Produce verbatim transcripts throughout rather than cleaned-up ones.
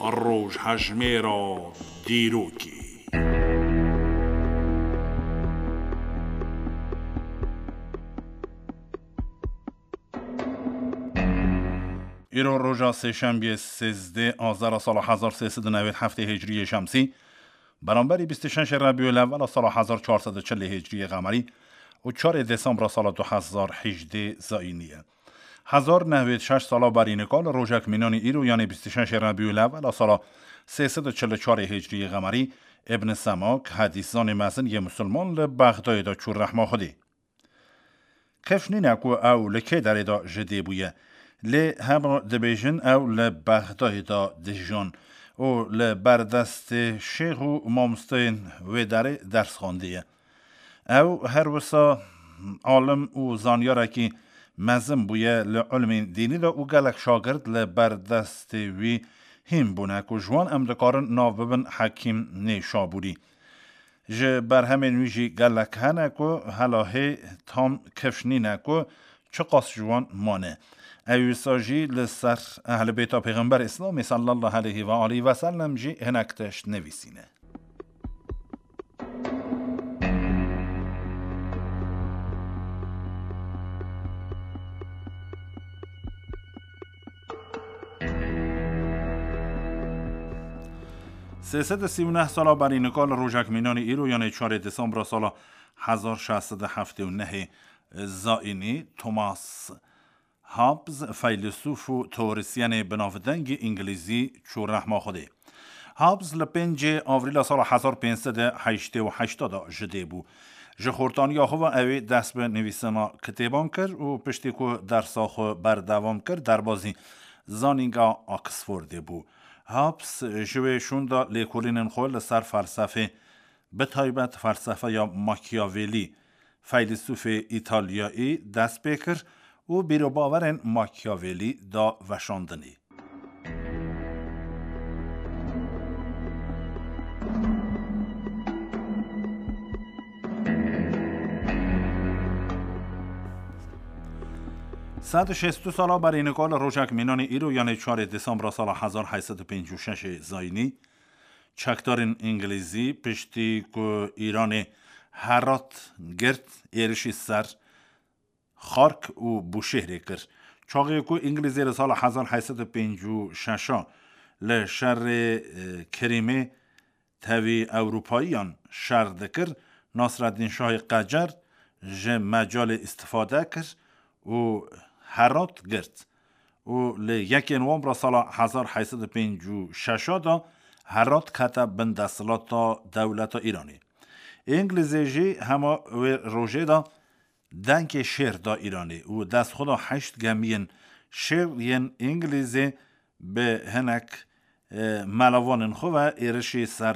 Rojhejmêra dîrokê. Îro roja sêşembiyê sêzdeh Azera sala hezar sê sed û newêd heftê Hicriyê Şemsî, beramberî bîst û şeşê Rebîul Ewwela sala hezar çar sed û çilê Hicriyê Qemerî û çarê Desembra sala du hezar hejdê Zayînî ye. Hezar nehwêd şeş sala berî nika li rojek mînanî îro, yanê bîst û şeşê Rebîul Ewwela sala sê sed û çil û çarê Hicriyê Qemerî, Ibn Semak, hedîszanê mezin yê misilman, li Bexdayê de çû rehma Xwedê. Kifş nîne ku ew li kê derê de ji dê bûye. Lê hema dibêjin ew li Bexdayê de dijon û li ber destê şêx û mamosteyên wê derê ders xwendiye. Ew her wisa alim û zanyarekî mezin bûye li ilmên dînî de û gelek şagird li ber destê wî hîn bûne ku ji wan em dikarin nav bibin Hekîm Nêşabûrî. Ji berhemên wî jî gelek hene ku hela hê tam kifş nîne ku çiqas ji wan mane. Ew wisa jî li ser Ehlî Bêta Pêxember Îslamê sallallahu aleyhi ve aleyhi ve sellem jî hinek tişt nivîsîne. Sê sed û sî û neh sala berî nika li rojek mînanî îro, yanê çarê Desembra sala hezar şeş sed û heftê û nehê Zayînî, Thomas Hobbes, feylesûf û teorisyenê binavdengî îngilîzî, çû rehma Xwedê. Hobbes li pêncê Avrîla sala hezar pênc sed û heştê û heşt de ji dê bû. Ji xortaniya xwe ve ew ê dest bi nivîsina kitêban kir û piştî ku dersa xwe berdewam kir, derbazî Zanînga Oxfordê bû. Hobbes ji wê şûnda lêkolînên xwe li ser felsefê, bi taybet felsefeya Machiavelli, feylesûfê Îtalyayî, dest pê kir û bîrobawerên Machiavelli da veşandinê. Sed û şêst û sala berî nika li rojek mînanî îro, yanê çarê Desembra sala hezar heyt sed û pêncî û şeş Zayînî, çekdarên îngilîzî piştî ku Îranê Herat girt, êrişî ser Xark û Bûşêhrê kir. Çaxê ku Îngilîzê li sala hezar heyt sed û pêncî û şeş li şerê, e, Kirîmê tevî Ewropayiyan şer dikir, Nasreddîn Şahê Qecer ji mecalê îstifade kir û Herat girt û li yekê Nowembra sala hezar heyt sed û pêncî û şeş de Herat kete bin desthilata dewleta Îranê. Îngilîzê jî hema wê rojê de dengê şêr da Îranê û destxweda heşt gemiyên şêr yên Îngilîzê bi hinek, e, melavanên xwe ve êrişî ser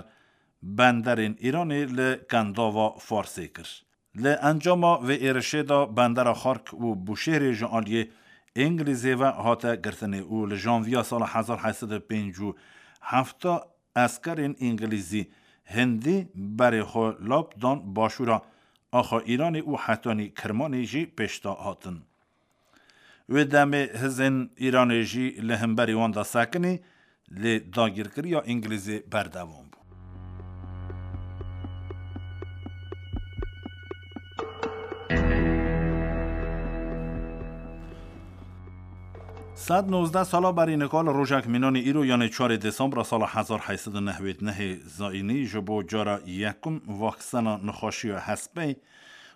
benderên Îranê li Kendava Farsê kir. Li encama vê êrişê de bendera Xark û Bûşêhrê ji aliyê Îngilîzê ve hate girtinê û li janviya sala hezar heyt sed û pêncî û heft eskerên Îngilîzî, Hindî berê xwe lap dan başûra axa Îranê û hetanî Kirmanê jî pêşda hatin. Wê demê hizên Îranê jî li hemberî wan de sekinî, lê dagirkiriya Îngilîzê berdewam bû. Sed nozdeh sala berî nika li rojek mînanî îro, yanê çarê Desembra sala hezar heyt sed û newêd nehê Zayînî, ji bo cara yekum vaksena nexweşiya hespê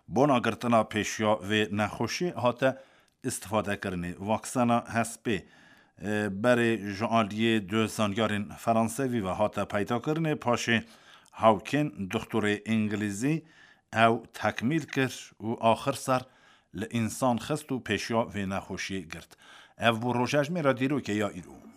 bona girtina pêşiya vê nexweşiyê hate îstifadekirinê. Vaksena hespê, e, berê ji aliyê du zanyarên Fransevî ve hate peydakirinê, paşê hawkên doktorê Îngilîzî ew tekmîl kir û axir ser li însan xist û pêşiya vê nexweşiyê girt. Ev bû rojejmêra dîrokê ya îro.